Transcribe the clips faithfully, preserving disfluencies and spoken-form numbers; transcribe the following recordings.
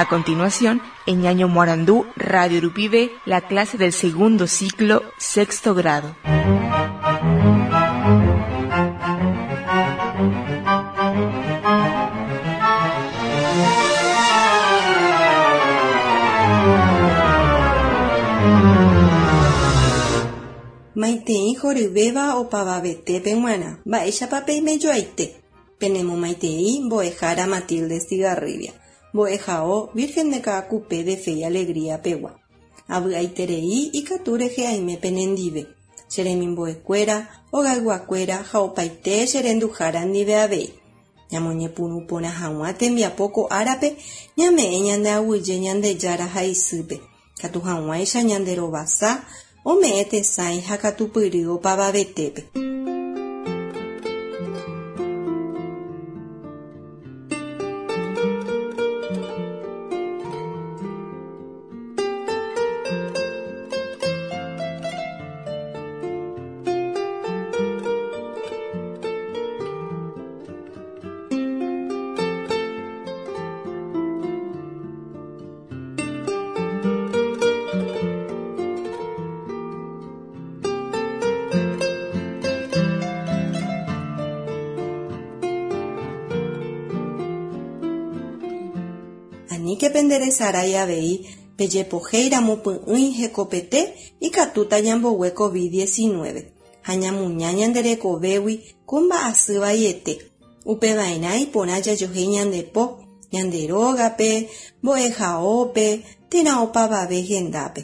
A continuación, en Ñaño Morandú, Radio Rupibe, la clase del segundo ciclo, sexto grado. Maitei horyvéva opavavetépe g̃uarã mba'éichapa peimejoaite. Penemomaitei mbo'ehára Matilde Estigarribia, mbo'ehao Virgen de Caacupé de Fe y Alegría pegua. Avy'aiterei ikatu rehe aime penendive. Che remimbo'ekuéra, ogayguakuéra ha opaite che renduhára ndive avei. Ñamoñepyrũ porã hag̃ua tembiapo ko árape ñame'ẽ ñande aguyje Ñandejára ha isýpe. Katu hag̃uáicha ñande rovasa ome'ẽ tesãi ha katupyry opavavetépe. Aníke penderesarái avei pejepohéiramo py'ỹi hekopete ikatúta ñambogue COVID diecinueve ha ñamuña ñande rekovégui ko mba'asy vaiete. Upeva'erã iporã jajohéi ñande po, ñande rógape, mbo'ehaópe térã opavave hendápe.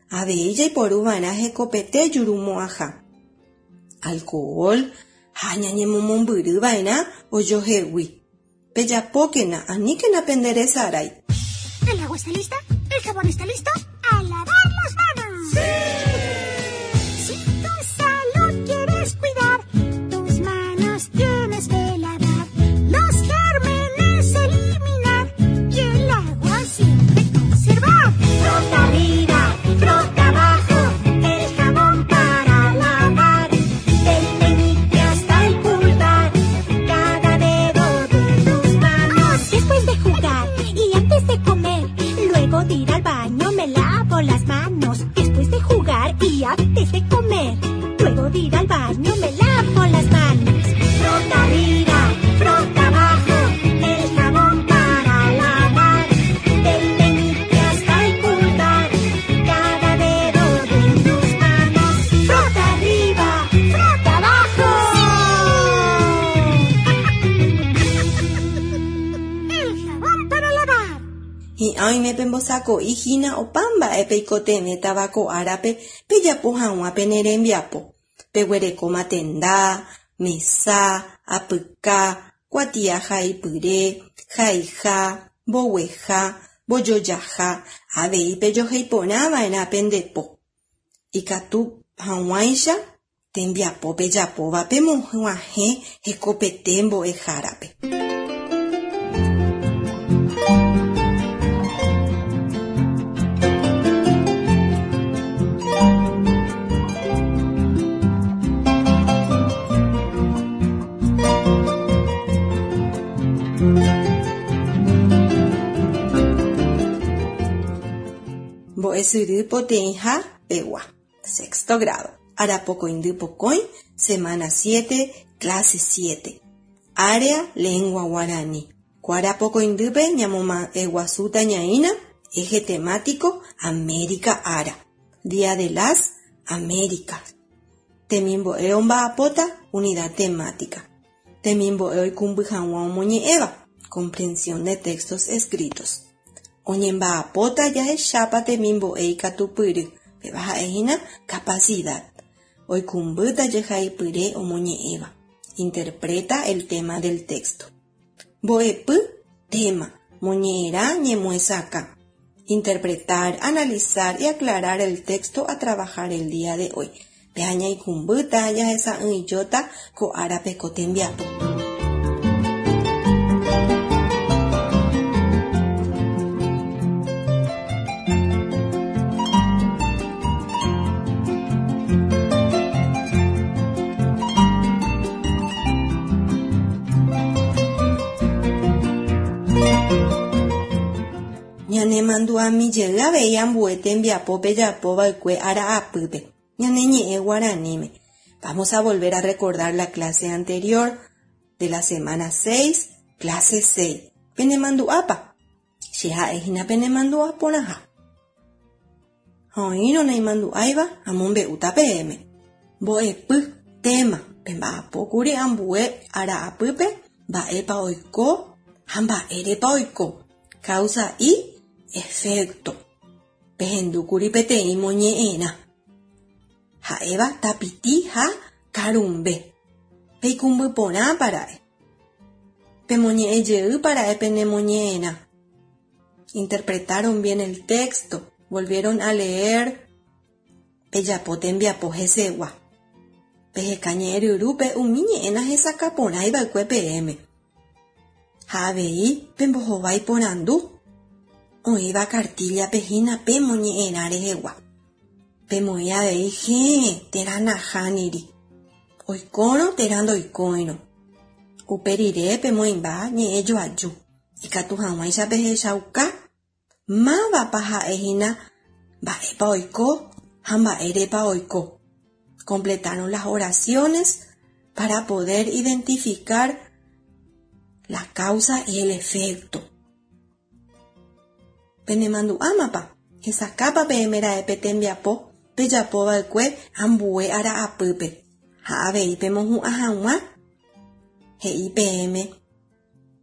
Avei jaiporuva'erã hekopete jurumo'ãha. Alcohol ha ñañemomombyryva'erã ojohegui. Pejapókena, aníkena penderesarái. ¿El agua está lista? ¿El jabón está listo? ¡A lavar las manos! ¡Sí! Si tu salud quieres cuidar, tus manos tienes que lavar, los gérmenes eliminar y el agua siempre conservar. Frota arriba, frota abajo, el jabón para lavar, del meñique hasta el pulgar, cada dedo de tus manos. Después de jugar y antes de comer, luego de ir al baño me lavo las manos. Después de jugar y antes de comer, luego de ir al baño me lavo las manos. Frota arriba, frota abajo, el jabón para lavar, del meñique hasta el pulgar, cada dedo de tus manos. Frota arriba, frota abajo. ¡El jabón para lavar! Hi'ã oime pembosako'i hína opa mba'e peikotevẽ tavako árape pejapo hag̃ua pene rembiapo. Peguerekóma tenda, mesa, apyka, kuatia haipyre, haiha, mbogueha, mbojojaha, avei pejoheiporãva'erã pendepo. Ikatu hag̃uáicha tembiapo pejapóva pemog̃uahẽ hekopete mbo'ehárape. Mbo'esyry poteĩha pegua, sexto grado, arapokõindy pokõi, semana siete, clase siete. Área lengua guaraní. Ko arapokõindýpe ñamomba'eguasúta ñaína, eje temático América Ara, Día de las Américas. Temimbo'e omba'apóta unidad temática. Temimbo'e oikũmby hag̃ua omoñe'ẽva, comprensión de textos escritos. Oñemba'apóta jahechápa temimbo'e ikatupyry, péva ha'ehína capacidad. Oikũmbýta jehaipyre omoñe'ẽva. Interpreta el tema del texto. Mbo'epy, tema, moñe'ẽrã ñemoesakã. Interpretar, analizar y aclarar el texto a trabajar el día de hoy. Péa ñaikũmbýta jahesa'ỹijóta ko árape ko tembiapo. Ñanemandu'ami jey avei ambue tembiapo pejapova'ekue ara'apýpe. Ñane ñe'ẽ guaraníme. Vamos a volver a recordar la clase anterior de la semana seis, clase seis. Penemandu'ápa. Che ha'ehína penemandu'a porãha. Ha oĩrõ naimandu'áiva amombe'úta peẽme. Mbo'epy tema pemba'apókuri ambue ara'apýpe mba'épa oiko ha mba'érepa oiko. Causa y efecto. Pehendúkuri peteĩ moñe'ẽrã. Ha'éva tapiti ha karumbe. Peikũmby porãpara'e. Pemoñe'ẽ jeýpara'e penemoñe'ẽrã. Interpretaron bien el texto. Volvieron a leer. Pejapo tembiapo hesegua. Peheka ñe'ẽryrúpe umi ñe'ẽ nahesakãporãiva'ekue peẽme. Ha avei pembohovái porandu. Oĩva cartilla-pe hína pemoñe'ẽrã rehegua. Pemoĩ avei héẽ térã nahániri. Oikórõ térã ndoikóirõ. Upe rire pemoĩmba ñe'ẽ joaju. Ikatu hag̃uáicha pehechauka mávapa ha'ehína mba'épa oiko ha mba'érepa oiko. Completaron las oraciones para poder identificar la causa y el efecto. Penemandu'ámapa hesakãpa peẽmera'e pe tembiapo pejapova'ekue ambue ara'apýpe. Ha avei pemohu'ã hag̃ua he'i peẽme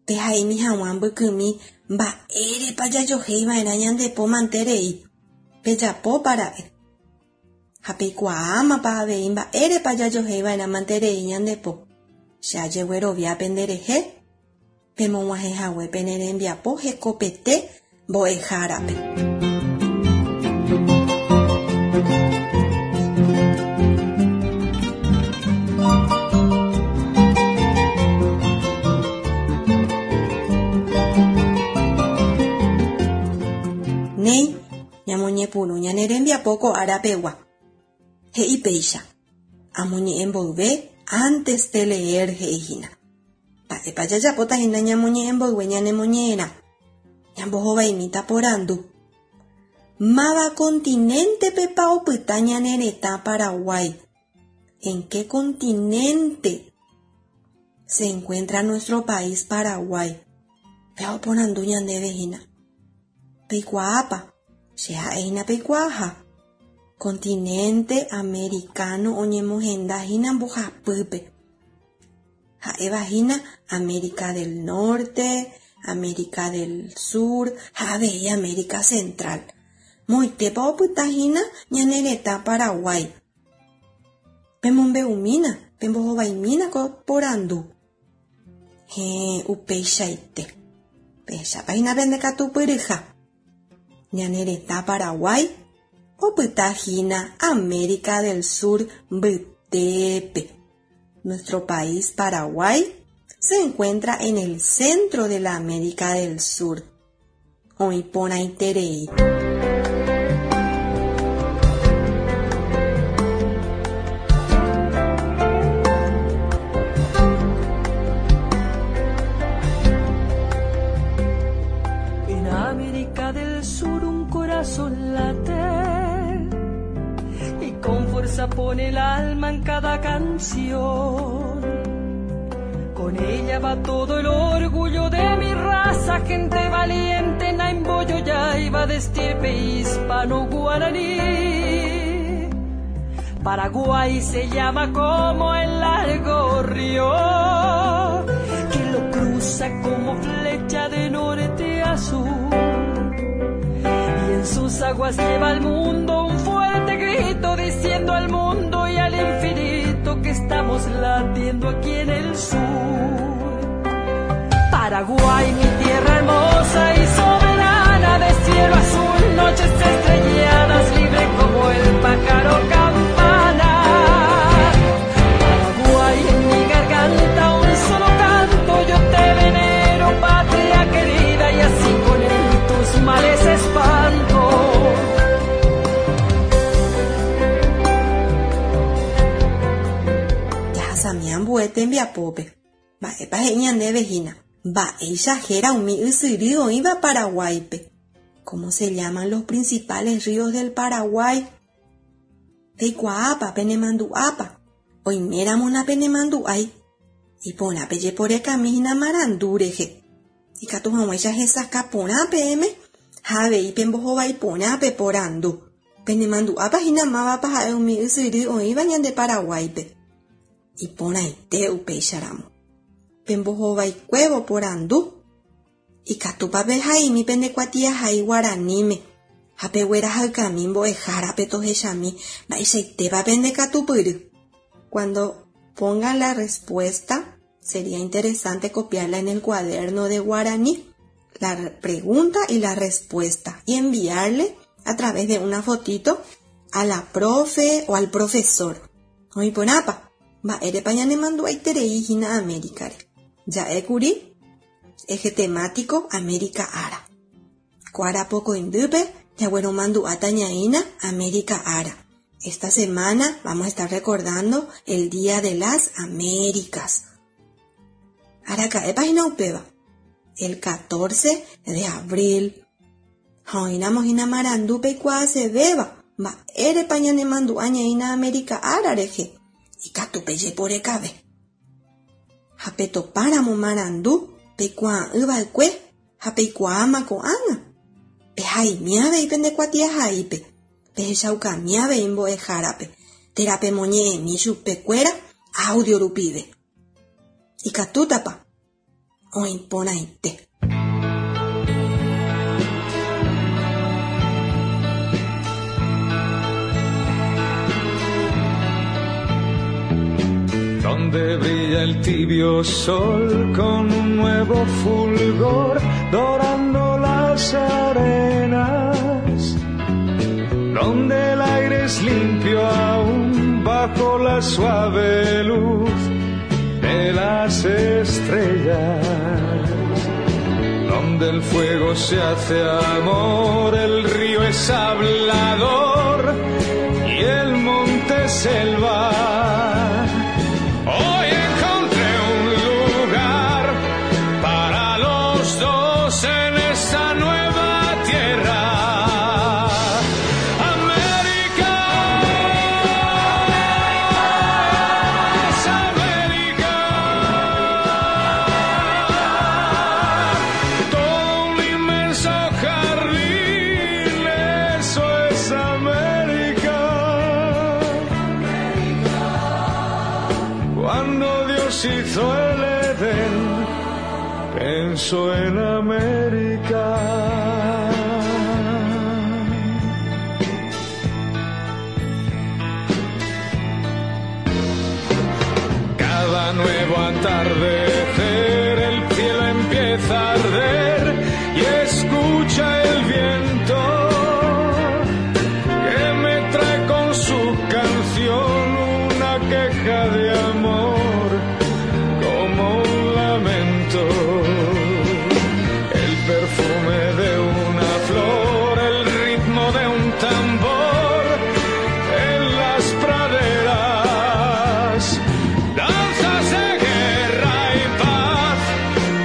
pehaimi hag̃ua mbykymi mba'érepa jajoheiva'erã ñande po manterei. Pejapópara'e. Ha peikuaámapa avei mba'érepa jajoheiva'erã manterei ñande po. Che ajeguerovia penderehe pemog̃uahẽhague pene rembiapo hekopete mbo'ehárape. Néi, ñamoñepyrũ ñane rembiapo ko arapegua. He'i péicha. Amoñe'ẽ mboyve antes de leer he'ihína. Mba'épa jajapóta hína ñamoñe'ẽ mboyve ñanemoñe'ẽrã. Ñambohovaimíta porandu. Máva continente-pepa opyta ñane retã Paraguay. ¿En qué continente se encuentra nuestro país Paraguay? Péva oporandu ñandéve hína. Peikuaápa. Che ha'ehína peikuaaha. Continente americano oñemohenda hína mbohapýpe. Ha'éva hína América del Norte, América del Sur ha avei América Central. Moitépa opyta hína ñane retã Paraguay. Pemombe'umína, pembohovaimína ko porandu. Héẽ, upeichaite. Pehechápa hína pendekatupyryha. Ñane retã Paraguay opyta hína América del Sur mbytépe. Nuestro país Paraguay se encuentra en el centro de la América del Sur. Oĩ porãiterei. En América del Sur un corazón late y con fuerza pone el alma en cada canción. Con ella va todo el orgullo de mi raza, gente valiente, Naimboyo ya iba de estirpe hispano-guaraní. Paraguay se llama como el largo río que lo cruza como flecha de norte a sur. Y en sus aguas lleva al mundo un fuerte grito diciendo al mundo y al infinito que estamos latiendo aquí en el sur. Paraguay, mi tierra hermosa y soberana, de cielo azul, noches estrelladas, libre como el pájaro campana. Paraguay, en mi garganta un solo canto, yo te venero, patria querida, y así con él tus males espanto. Jahasami ambue tembiapópe. Mba'épa he'i ñandéve hína. Mba'éicha héra umi ysyry oĩva Paraguáipe. ¿Cómo se llaman los principales ríos del Paraguay? Peikuaápa penemandu'ápa. Oiméramo napenemandu'ái. Iporã pejeporekamína marandu rehe. Ikatu hag̃uáicha hesakã porã peẽme ha avei pembohovái porã peporandu. Penemandu'ápa hína mávapa ha'e umi ysyry oĩva ñande Paraguáipe. Iporãite upéicharamo. Pembohovaikuévo porandu. Ikatúpa pehaimi pende kuatiahai guaraníme ha peguerahaykami mbo'ehárape tohechami mba'eichaitépa pendekatupyry. Cuando pongan la respuesta, sería interesante copiarla en el cuaderno de guaraní, la pregunta y la respuesta, y enviarle a través de una fotito a la profe o al profesor. Oĩporãpa, mba'érepa ñanemandu'aiterei hína Américare. Ja'ékuri eje temático América ára. Ko arapokõindýpe jagueromandu'áta ñaína América ára. Esta semana vamos a estar recordando el Día de las Américas. Araka'épa hína upéva. El catorce de abril. Ha oĩramo hína marandu peikuaasevéva mba'érepa ñanemandu'a ñaína América ára rehe. Ikatu pejeporekave. Ha petopáramo marandu peikuaa'ỹva'ekue ha peikuaáma ko'ág̃a. Pehaimi avei pende kuatiahaípe. Pehechaukami avei mbo'ehárape. Térã pemoñe'ẽmi chupekuéra audio rupive. Ikatútapa. Oĩporãite. Donde brilla el tibio sol con un nuevo fulgor, dorando las arenas, donde el aire es limpio aún bajo la suave luz de las estrellas, donde el fuego se hace amor, el río es hablador y el monte selva. Hoy encontré un lugar para los dos en esta nueva tierra. América, es América. Todo un inmenso jardín, eso es América. Cuando Dios hizo el Edén, pensó en América. Cada nuevo atardecer, el cielo empieza a arder y escucha el viento que me trae con su canción una queja de amor, como un lamento. El perfume de una flor, el ritmo de un tambor en las praderas, danzas de guerra y paz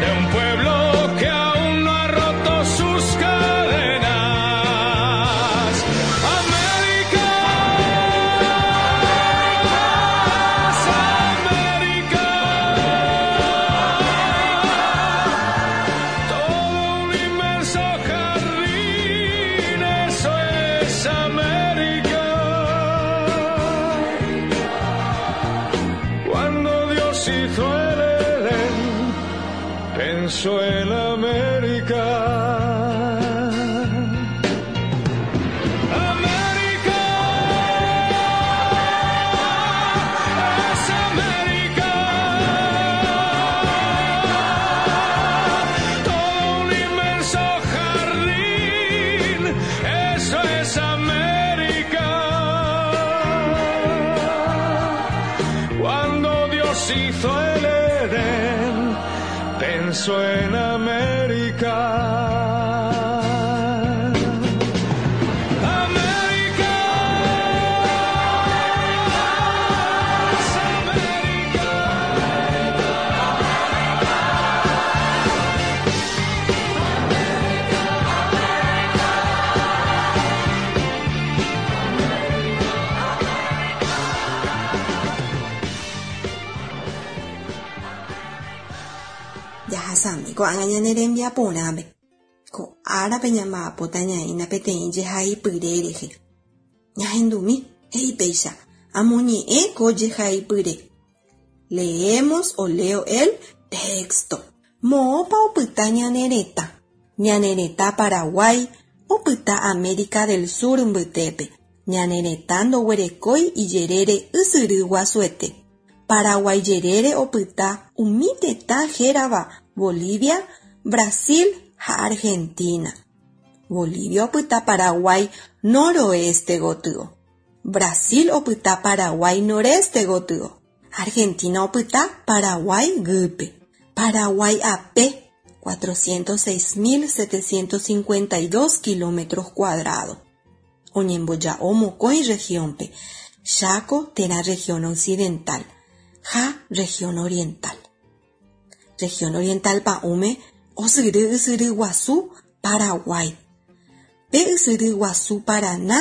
de un pueblo que aún no ha roto sus cadenas. América, es América. Todo un inmenso jardín, eso es América. Cuando Dios hizo el Edén, pensó en América. América, es América. Todo un inmenso jardín, eso es América. Cuando Dios hizo el Edén, pensó en América. América, es América. Jahasami ko'ág̃a ñane rembiaporãme. Ko árape ñamba'apóta ñaína peteĩ jehaipyre rehe. Ñahendumi he'i péicha amoñe'ẽ ko jehaipyre. Leemos o leo el texto. Moõpa opyta ñane retã. Ñane retã Paraguay opyta América del Sur mbytépe. Ñane retã ndoguerekói ijerére ysyry guasuete. Paraguay jerére opyta umi tetã hérava Bolivia, Brasil ha Argentina. Bolivia opyta Paraguay noroeste gotyo. Brasil opyta Paraguay noreste gotyo. Argentina opyta Paraguay guýpe. Paraguay ape cuatrocientos seis mil setecientos cincuenta y dos kilómetros cuadrados. Oñemboja'o mokõi regiónpe, Chaco térã región occidental, ha región oriental. Región oriental pa'ũme osyry ysyry guasu Paraguay. Pe ysyry guasu Paraná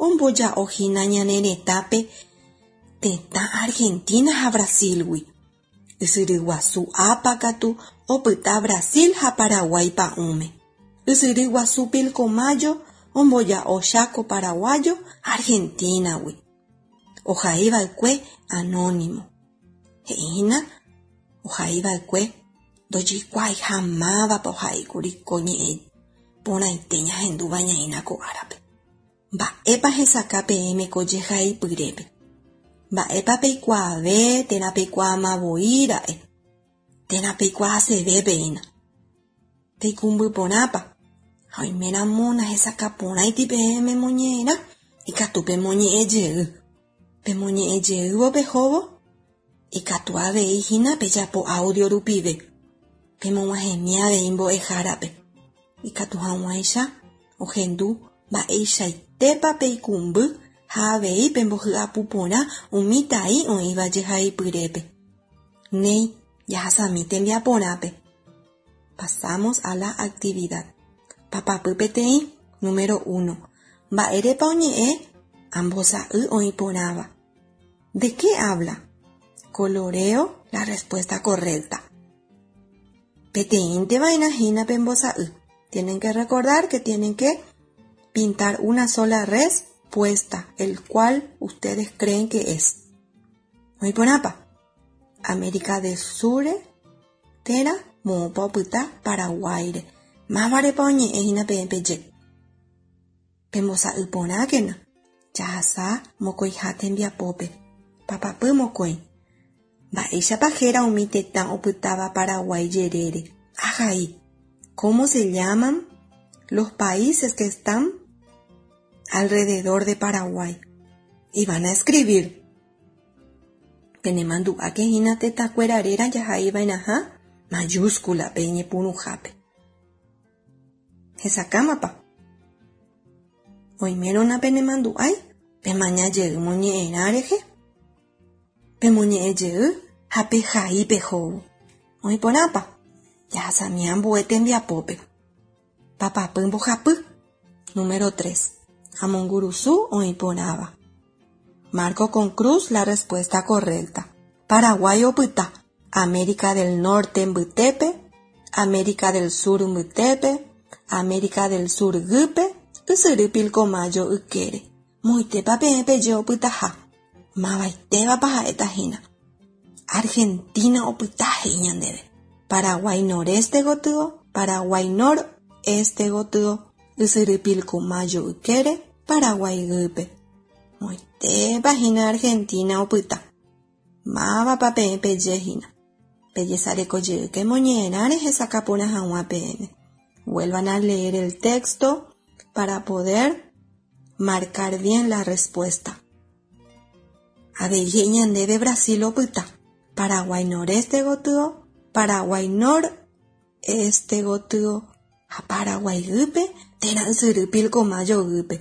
omboja'ohína ñane retãpe tetã Argentina ha Brasilgui. Ysyry guasu Apa katu opyta Brasil ha Paraguay pa'ũme. Ysyry guasu Pilcomayo omboja'o Chaco paraguayo Argentinagui. Ohaiva'ekue anónimo. He'ína ohaiva'ekue ndojeikuaaiha mávapa ohaíkuri ko ñe'ẽ porãite ñahendúva ñaína ko árape. Mba'épa hesakã peẽme ko jehaipyrépe. Mba'épa peikuaave térã peikuaamavoíra'e térã peikuaaseve peína. Peikũmbyporãpa ha oiméramo nahesakãporãiti peẽme moñe'ẽrã ikatu pemoñe'ẽjey. Pemoñe'ẽjeývo pehóvo ikatu avei hína pejapo audio rupive. Pemog̃uahẽmi avei mbo'ehárape. Ikatu hag̃uáicha ohendu mba'eichaitépa peikũmby ha avei pembohy'apuporã umi tai oĩva jehaipyrépe. Néi, jahasami tembiaporãpe. Pasamos a la actividad. Papapy peteĩ, número uno. Mba'érepa oñe'ẽ ambosa'y oĩporãva. ¿De qué habla? Coloreo la respuesta correcta. Peteĩnte va'erã hína pembosa'y. Tienen que recordar que tienen que pintar una sola respuesta, el cual ustedes creen que es. Oĩporãpa. América del Sur térã moõpa opyta Paraguáire. Mávarepa oñe'ẽ hína peẽ peje. Pembosa'y porãkena. Jahasa mokõiha tembiapópe. Papapy mokõi. Mba'éichapa héra umi tetã opytáva Paraguay jerére. Ahai. ¿Cómo se llaman los países que están alrededor de Paraguay? Y van a escribir. Penemandu'áke hína tetãkuéra réra jahaiva'erãha mayúscula-pe iñepyrũhápe. Hesakãmapa. Oimérõ napenemandu'ái pemañajey moñe'ẽrã rehe. Pemoñe'ẽjey ha pehai pehóvo. Oĩporãpa. Jahasami ambue tembiapópe. Papapy mbohapy. Número tres. Amongurusu oĩporãva. Marco con cruz la respuesta correcta. Paraguay opyta. América del Norte mbytépe, América del Sur mbytépe, América del Sur guýpe, ysyry Pilcomayo ykére. Moitépa peẽ peje opytaha. Mavaitévapa ha'éta hína. Argentina opyta he'i ñandéve. Paraguay noreste gotyo, Paraguay noreste gotyo, ysyry Pilcomayo ykére, Paraguay guýpe. Moitépa hína Argentina opyta. Mávapa peẽ peje hína. Pejesarekojeyke moñe'ẽrãre hesakãporã hag̃ua peẽme. Vuelvan a leer el texto para poder marcar bien la respuesta. Avei he'i ñandéve Brasil opyta. Paraguay noreste gotyo, Paraguay noreste gotyo ha Paraguay guýpe térã ysyry Pilcomayo guýpe.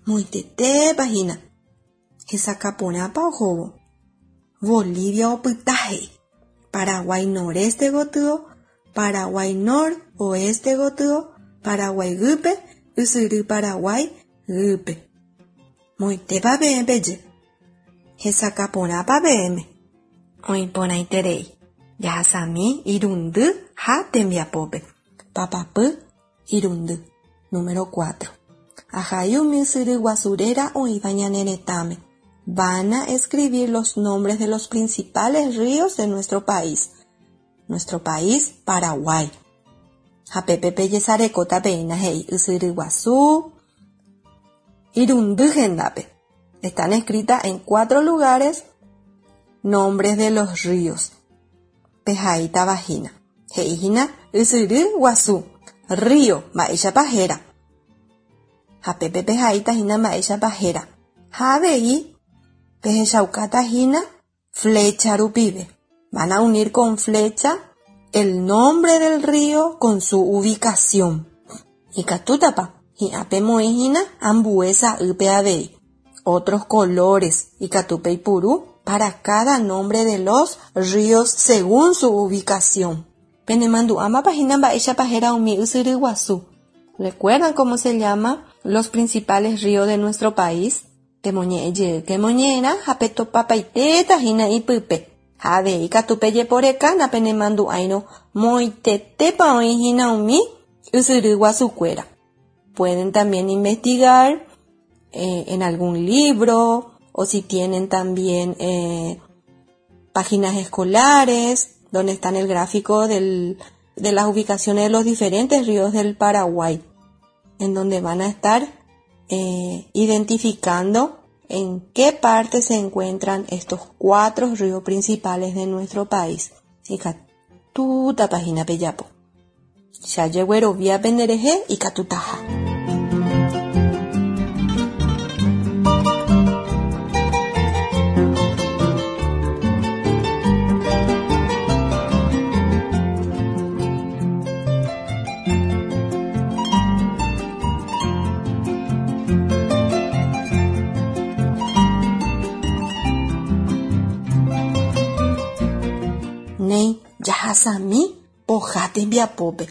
Moitetépa hína. Hesakãporãpa ohóvo. Bolivia opyta he'i. Paraguay noreste gotyo, Paraguay noroeste gotyo, Paraguay guýpe, ysyry Paraguay guýpe. Moitépa peẽ peje. Hesakãporãpa peẽme. Oĩporãiterei. Jahasami irundy ha tembiapópe. Papapy irundy. Número cuatro. Ahai umi ysyry guasu réra oĩva ñane retãme. Van a escribir los nombres de los principales ríos de nuestro país. Nuestro país, Paraguay. Ha pépe pejesarekóta peína he'i ysyry guasu irundy hendápe. Están escritas en cuatro lugares nombres de los ríos. Pehaíta vagina. He'íhina ysyry guasu. Río, mba'éichapa héra. Ha pépe pehaíta hína mba'éichapa héra. Ha avei pehechaukáta hína flecha rupive. Van a unir con flecha el nombre del río con su ubicación. Ikatútapa, hi'ã pemoĩ hína ambue sa'ýpe avei. Otros colores ikatu peipuru para cada nombre de los ríos según su ubicación. Penemandu'ámapa hína mba'éichapa héra umi ysyry guasu. ¿Recuerdan cómo se llama los principales ríos de nuestro país? Pemoñe'ẽ moñe'ẽrã ha petopapaitéta hína ipype. Ha avei katu pejeporeka napenemandu'áirõ moitetépa oĩ hína umi ysyry guasukuéra. Pueden también investigar eh, en algún libro o si tienen también eh, páginas escolares donde están el gráfico del, de las ubicaciones de los diferentes ríos del Paraguay, en donde van a estar eh, identificando en qué parte se encuentran estos cuatro ríos principales de nuestro país. Ikatútapa hína pejapo. Che ajerovia penderehe ikatutaha. Néi, jahasami poha tembiapópe.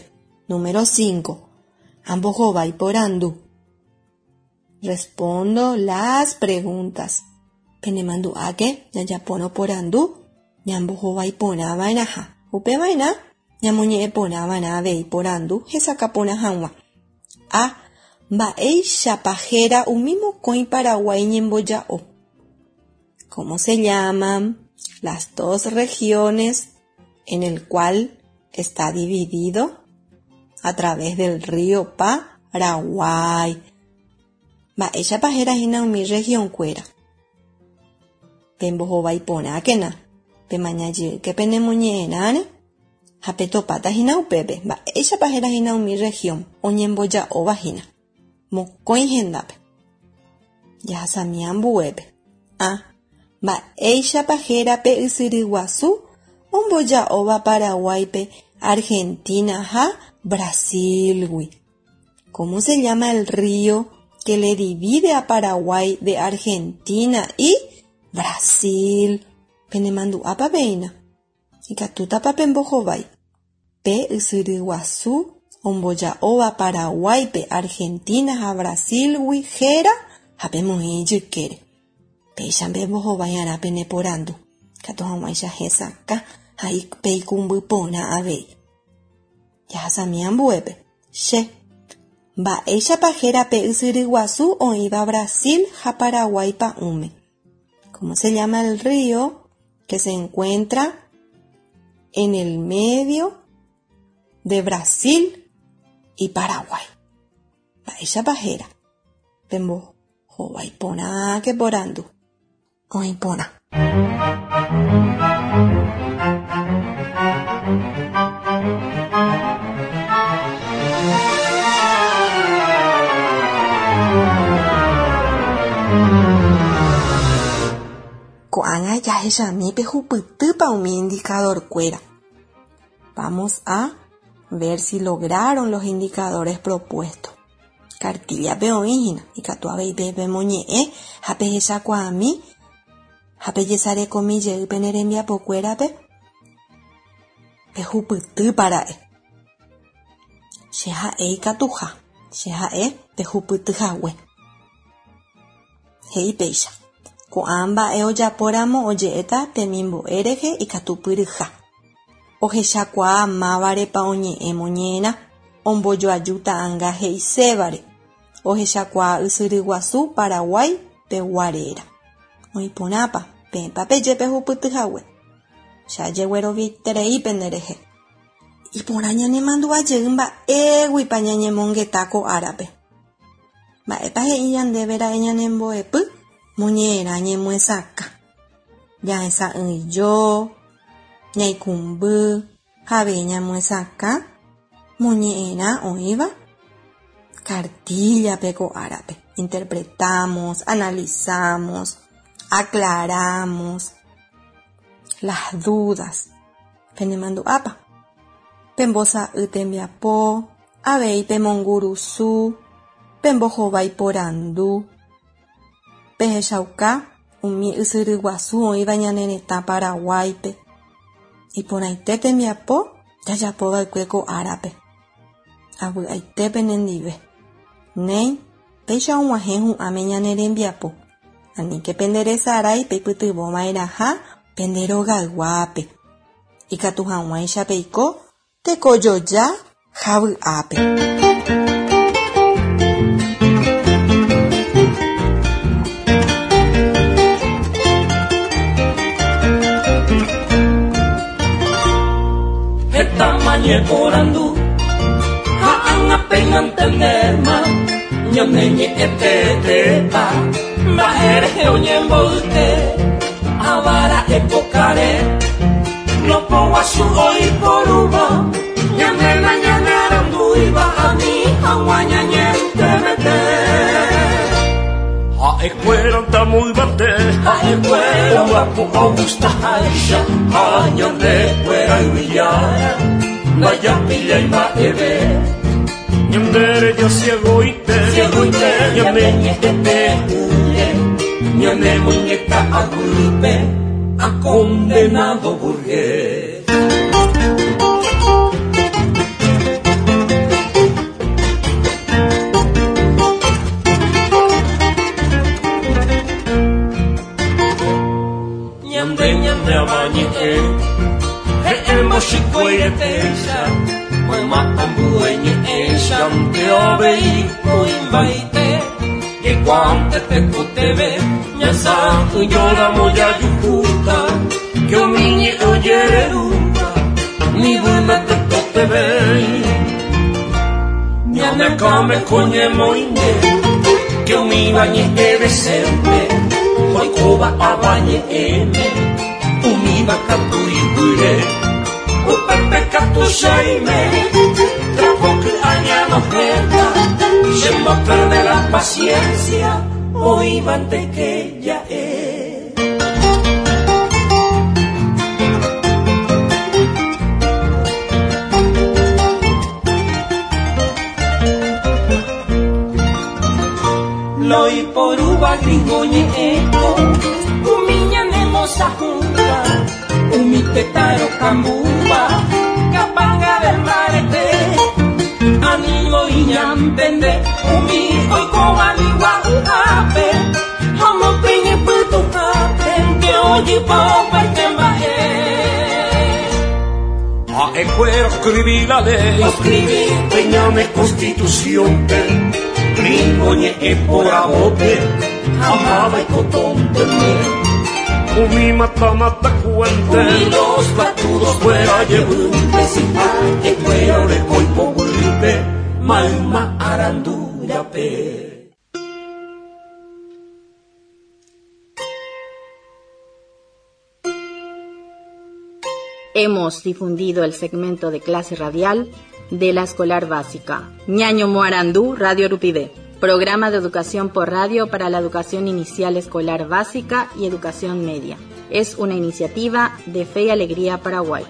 Número cinco. Ambohovái porandu. Respondo las preguntas. Penemandu'áke jajapórõ porandu ñambohovái porã va'erãha. Upeva'erã ñamoñe'ẽ porã va'erã avei porandu hesakã porã hag̃ua. A. Mba'éichapa héra umi mokõi Paraguái ñemboja'o. ¿Cómo se llaman las dos regiones en el cual está dividido a través del río Paraguay? Mba'éichapa héra hína umi región kuéra. Pembohovái porãkena, pemañajýke penemoñe'ẽrãre ha petopáta hína upépe. Mba'éichapa héra hína umi región oñemboja'óva hína. Mokõi hendápe. Jahasami ambuépe. A. Mba'éichapa héra pe ysyry guasu omboja'óva Paraguáipe Argentina ha Brasilgui. ¿Cómo se llama el río que le divide a Paraguay de Argentina y Brasil? Penemandu'ápa péina. Ikatútapa pembohovái. Pe ysyry guasu omboja'óva Paraguáipe Argentina ha Brasilgui héra ha pemoĩ ijykére. Péicha pembohovai'arã peneporandu. Katu hag̃uáicha hesakã ha peikũmby porã avei. Jahasami ambuépe. Che. Mba'éichapa héra pe ysyry guasu oĩva Brasil ha Paraguái pa'ũme. ¿Cómo se llama el río que se encuentra en el medio de Brasil y Paraguay? Mba'éichapa héra. Pembohovái porãke porandu. Oĩ porã. Ko'ág̃a jahechami pehupytýpa umi indicador-kuéra. Vamos a ver si lograron los indicadores propuestos. Cartilla-pe oĩ hína, ikatu avei pemoñe'ẽ ha pehechakuaami ha pejesarekomi jey pene rembiapokuérape pehupytýpara'e. Che ha'e ikatuha, che ha'e pehupytyhague. He'i péicha. Ko'ã mba'e ojapóramo oje'éta temimbo'e rehe ikatupyryha. Ohechakuaa mávarepa oñe'ẽ moñe'ẽrã, ombojoaju ta'ãnga he'isévare. Ohechakuaa ysyry guasu Paraguay pegua réra. Oĩporãpa peẽpa peje pehupytyhague. Che ajegueroviaiterei penderehe. Iporã ñanemandu'ajey mba'éguipa ñañemongeta ko árape. Mba'épa he'i ñandévera'e ñanembo'epy moñe'ẽrã ñemyesakã. Jahesa'ỹijo, ñaikũmby, jave ñamyesakã moñe'ẽrã oĩva cartilla-pe ko árape. Interpretamos, analizamos, aclaramos las dudas. Penemandu'ápa. Pembosa'y tembiapo, avei pemongurusu, pembohovái porandu, pehechauka umi ysyry guasu oĩva ñane retã Paraguáipe. Iporãite tembiapo jajapova'ekue ko árape. Avy'aite penendive. Néi, péicha og̃uahẽ hu'ãme ñane rembiapo. Aníke penderesarái peipytyvõva'erãha pende rogayguápe. Ikatu hag̃uáicha peiko tekojoja ha vy'ápe. Porandu ha'anga peñantenderma ñaneñe'ẽtetépa mba'érehe oñemboyke avara epokare lopoguasu oiporúva ñanena ñanearandúiva ani hag̃ua ñañentemete ha'ekuéra ntamoyvate ha'ekuéra oguapu'ogustaháicha ha ñandekuéra yvyjára Vaya pilla y maeve Ñandere yo ciego y te Ciego y te Ñane ñete huye Ñane muñeca agulpe A condenado burgués. Ñande ñande abañe Moshikoiretecha, mamapambueñe'ẽcha ndeovei kuimbaite Yekuante tekoteve ñasa'ỹjóramo jayuhúta que umi ñe'ẽ ojererúva nivyme tekotevei Ñanekãme ko ñemoĩnde que umíva ñe'ẽ decente oikóva avañe'ẽme umíva katu iguýre Upepe katu cheime trapo añanojeta Yendo a perder la paciencia oívante que ya es. Loi poruba gringo ñe'ẽko umi ñanemosahúva umi tetã rokambúva kapanga del mbarete animo iñantende umi oikóva migua'yhápe ha omopyñepytuhápe nde ojypa opaite mba'e. Ha'ekuéra oscribí la ley oscribí peñane constitución gringo ñe'ẽ poravópe amáva ikotónteme Umi mata mata cuente Umi los patudos fuera yevýnte si ha'ekuéra oreko ipoguýpe mayma arandúrape. Hemos difundido el segmento de clase radial de la escolar básica Ñaño Moarandú Radio Rupivé, programa de educación por radio para la educación inicial escolar básica y educación media. Es una iniciativa de Fe y Alegría Paraguay.